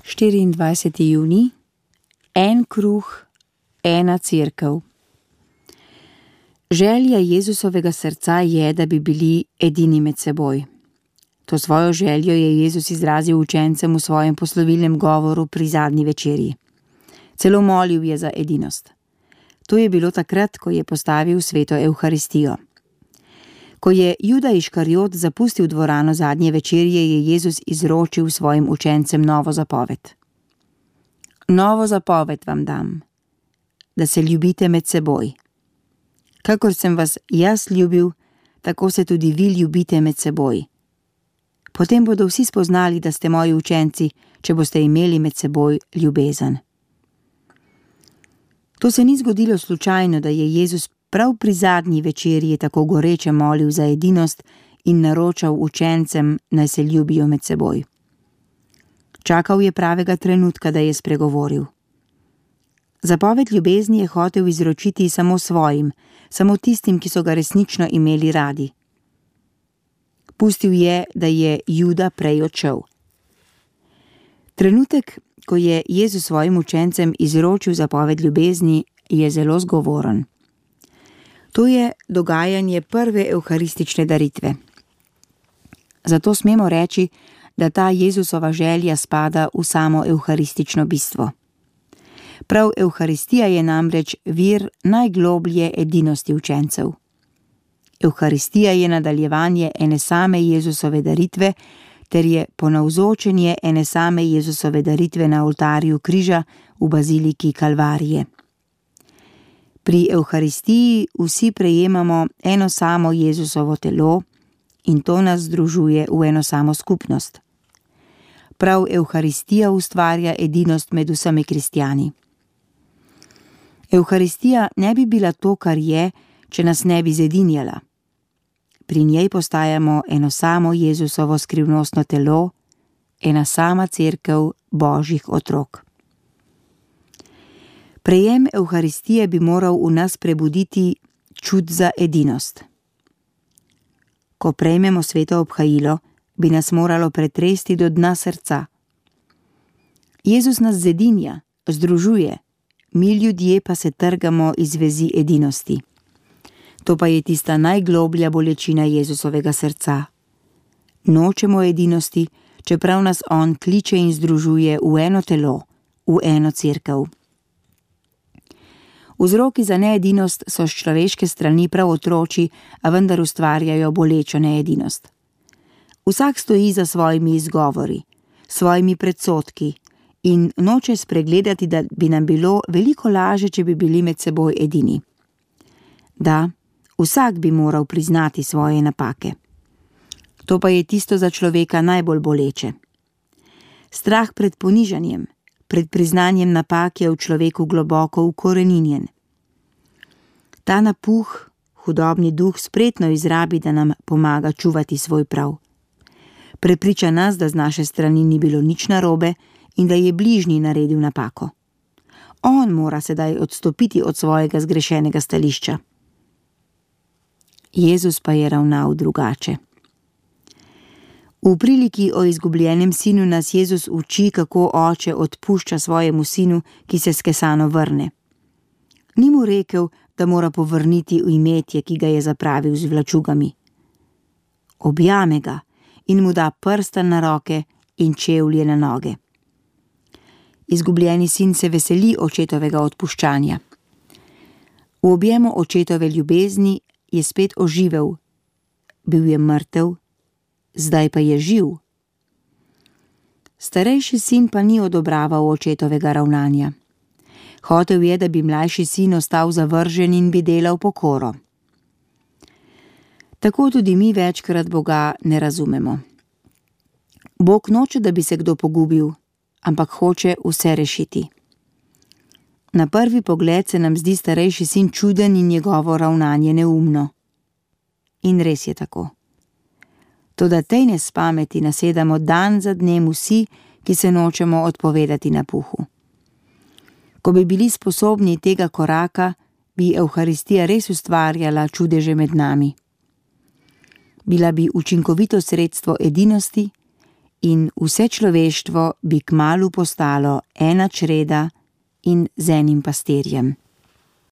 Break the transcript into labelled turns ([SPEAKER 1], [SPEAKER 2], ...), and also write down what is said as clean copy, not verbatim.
[SPEAKER 1] 24. junij, en kruh, ena cerkev. Želja Jezusovega srca je, da bi bili edini med seboj. To svojo željo je Jezus izrazil učencem v svojem poslovilnem govoru pri zadnji večerji. Celo molil je za edinost. To je bilo takrat, ko je postavil sveto Evharistijo. Ko je Juda Iškariot zapustil dvorano zadnje večerje, je Jezus izročil svojim učencem novo zapoved. Novo zapoved vam dam, da se ljubite med seboj. Kakor sem vas jaz ljubil, tako se tudi vi ljubite med seboj. Potem bodo vsi spoznali, da ste moji učenci, če boste imeli med seboj ljubezen. To se ni zgodilo slučajno, da je Jezus prav pri zadnji večerji tako goreče molil za edinost in naročal učencem, naj se ljubijo med seboj. Čakal je pravega trenutka, da je spregovoril. Zapoved ljubezni je hotel izročiti samo svojim, samo tistim, ki so ga resnično imeli radi. Pustil je, da je Juda prej odšel. Trenutek, ko je Jezus svojim učencem izročil zapoved ljubezni, je zelo zgovoren. To je dogajanje prve evharistične daritve. Zato smemo reči, da ta Jezusova želja spada v samo evharistično bistvo. Prav Evharistija je namreč vir najgloblje edinosti učencev. Evharistija je nadaljevanje ene same Jezusove daritve, ter je ponavzočenje ene same Jezusove daritve na oltarju križa v baziliki Kalvarije. Pri Evharistiji vsi prejemamo eno samo Jezusovo telo in to nas združuje v eno samo skupnost. Prav Evharistija ustvarja edinost med vsemi kristjani. Evharistija ne bi bila to, kar je, če nas ne bi zedinjala. Pri njej postajamo eno samo Jezusovo skrivnostno telo, ena sama cerkev Božjih otrok. Prejem Evharistije bi moral v nas prebuditi čut za edinost. Ko prejmemo sveto obhajilo, bi nas moralo pretresti do dna srca. Jezus nas zedinja, združuje, mi ljudje pa se trgamo iz vezi edinosti. To pa je tista najgloblja bolečina Jezusovega srca. Nočemo edinosti, čeprav nas on kliče in združuje v eno telo, v eno cerkev. Vzroki za needinost so s človeške strani prav otročji, a vendar ustvarjajo bolečo needinost. Vsak stoji za svojimi izgovori, svojimi predsodki in noče spregledati, da bi nam bilo veliko laže, če bi bili med seboj edini. Da, vsak bi moral priznati svoje napake. To pa je tisto za človeka najbolj boleče. Strah pred ponižanjem, pred priznanjem napak je v človeku globoko ukoreninjen. Ta napuh, hudobni duh spretno izrabi, da nam pomaga čuvati svoj prav. Prepriča nas, da z naše strani ni bilo nič narobe in da je bližnji naredil napako. On mora sedaj odstopiti od svojega zgrešenega stališča. Jezus pa je ravnal drugače. V priliki o izgubljenem sinu nas Jezus uči, kako oče odpušča svojemu sinu, ki se skesano vrne. Ni mu rekel, da mora povrniti imetje, ki ga je zapravil z vlačugami. Objame ga in mu da prsten na roke in čevlje na noge. Izgubljeni sin se veseli očetovega odpuščanja. V objemu očetove ljubezni je spet oživel. Bil je mrtev, zdaj pa je živ. Starejši sin pa ni odobraval očetovega ravnanja. Hotel je, da bi mlajši sin ostal zavržen in bi delal pokoro. Tako tudi mi večkrat Boga ne razumemo. Bog noče, da bi se kdo pogubil, ampak hoče vse rešiti. Na prvi pogled se nam zdi starejši sin čuden in njegovo ravnanje neumno. In res je tako. Toda tej nespameti nasedamo dan za dnem vsi, ki se nočemo odpovedati napuhu. Ko bi bili sposobni tega koraka, bi Evharistija res ustvarjala čudeže med nami. Bila bi učinkovito sredstvo edinosti in vse človeštvo bi kmalu postalo ena čreda in z enim pastirjem.